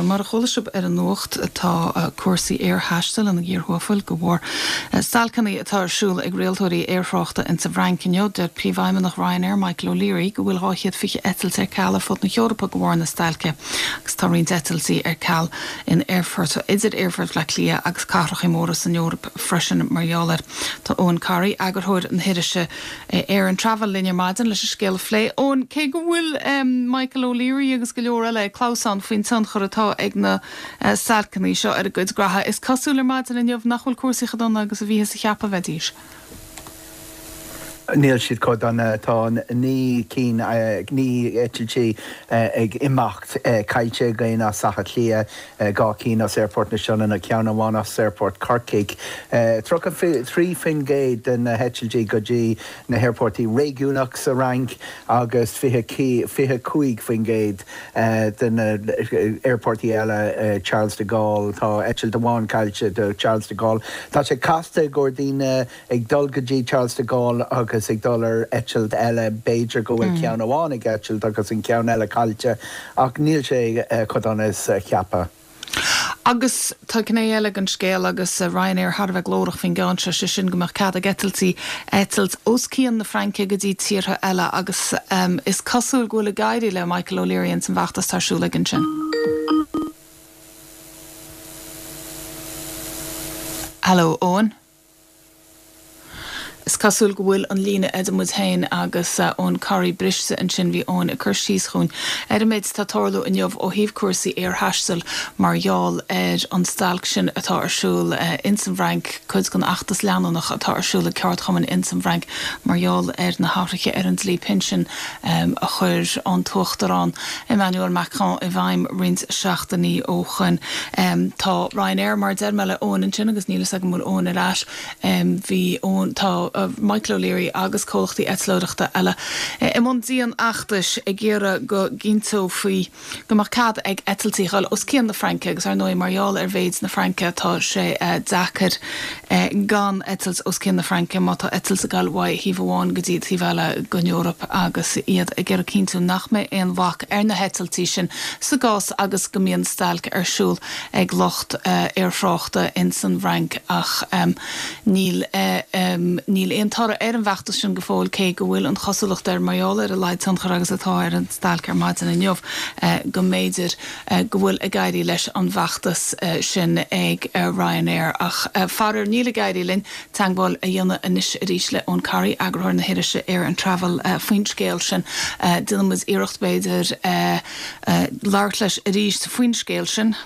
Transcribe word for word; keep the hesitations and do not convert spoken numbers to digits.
Bhuel, mar a chuala sibh ar an nuacht, tá cúrsaí aerthaistil ina gcíor thuafail de bharr stailceanna atá ar siúl ag rialtóirí aerthráchta insa bhFrainc inniu. Deir Príomhfheidhmeannach Ryanair, Michael O'Leary, go bhfuil dhá chéad fiche eitilt ar ceal ar fud na hEorpa de bharr na stailce agus tá roinnt eitiltí ar ceal in aerfort idir Aerfort Bhaile Átha Cliath agus cathracha móra san Eoraip freisin mar gheall air. Tá Eoin Corry, eagarthóir na hirise Air and Travel linn ar maidin leis an scéal a phlé. Eoin, cé go bhfuil Michael O'Leary agus go leor eile ag clamhsán faoin tionchar atá ag na stailceanna seo ar a gcuid graithe, is cosúil ar maidin inniu nach bhfuil cúrsaí chomh dona agus a bhíothas a cheapadh a bheidís. Níl siad chomh dona. Tá naoi cinn, naoi eitiltí ag imeacht caillte againn as Átha Cliath, dhá cinn as Aerfort na Sionainne, ceann amháin as Aerfort Corcaigh. tríocha trí faoin gcéad de na heitiltí go dtí na haerfoirtí réigiúnach sa Fhrainc agus fiche fiche cúig faoin gcéad de na aerfoirtí eile, Charles de Gaulle, tá eitilt amháin caillte do Charles de Gaulle. Tá sé casta i gcomhair daoine ag dul go dtí Charles de Gaulle agus ag dul ar eitilt eile, b'fhéidir go bhfuil ceann amháin ag eitilt agus an ceann eile caillte, ach níl sé chomh dona is a ceapadh. Agus tá gné eile den scéal agus Ryanair thar a bheith glórach faoin gceann seo, sé sin go mbeadh cead ag eitiltí eitilt os cionn na Fraince go dtí tíortha eile agus is cosúil go bhfuil ag éirí le Michael O'Leary ins an bhfeachtas atá ar siúl aige ansin. Hello, Eoin. Is cosúil go bhfuil an líne idir muid féin agus Eoin Corry briste ansin. Bhí Eoin ag cur síos chugainn ar an méid atá ag tarlú inniu ó thaobh cúrsaí aerthaistil mar gheall ar an stailc sin atá ar siúl ins an bhFrainc, cuid den fheachtas leanúnach atá ar siúl ag ceardchumainn ins an bhFrainc mar gheall ar na hathruithe ar an dlí pinsin a chuir an tUachtarán Emmanuel Macron i bhfeidhm roinnt seachtainí ó shoin. Tá Ryanair, mar a deir mé le Eoin ansin agus níl fhios agam an bhfuil Eoin ar ais, Bhí Eoin, tá Michael O'Leary agus comhlachtaí eitleoireachta eile i mbun dian-fheachtais ag iarraidh go gcinnteofaí go mbeadh cead ag eitiltí dhul os cionn na Fraince agus ar ndóigh mar gheall ar mhéid na Fraince tá sé deacair gan eitilt os cionn na Fraince má tá eitilt ag dul uaidh thaobh amháin go dtí taobh eile den Eoraip agus iad ag iarraidh cinntiú nach mbeidh aon bhac ar na heitiltí sin sa gcás agus go mbíonn stailc ar siúl ag lucht aerthráchta ins an bhFrainc ach níl níl aon toradh ar an bhfeachtas sin go fóill cé go bhfuil an chosúlacht air, mar gheall ar a laghad tionchair agus atá ar an stailc ar maidin inniu, go mb'fhéidir go bhfuil ag éirí leis an bhfeachtas sin ag Ryanair. Ach faraor níl ag éirí linn teagmháil a dhéanamh anois arís le Eoin Corry, eagarthóir na hirise Air and Travel, faoin scéal sin. Déanfaidh muid iarracht b'fhéidir labhairt leis arís faoin scéal sin.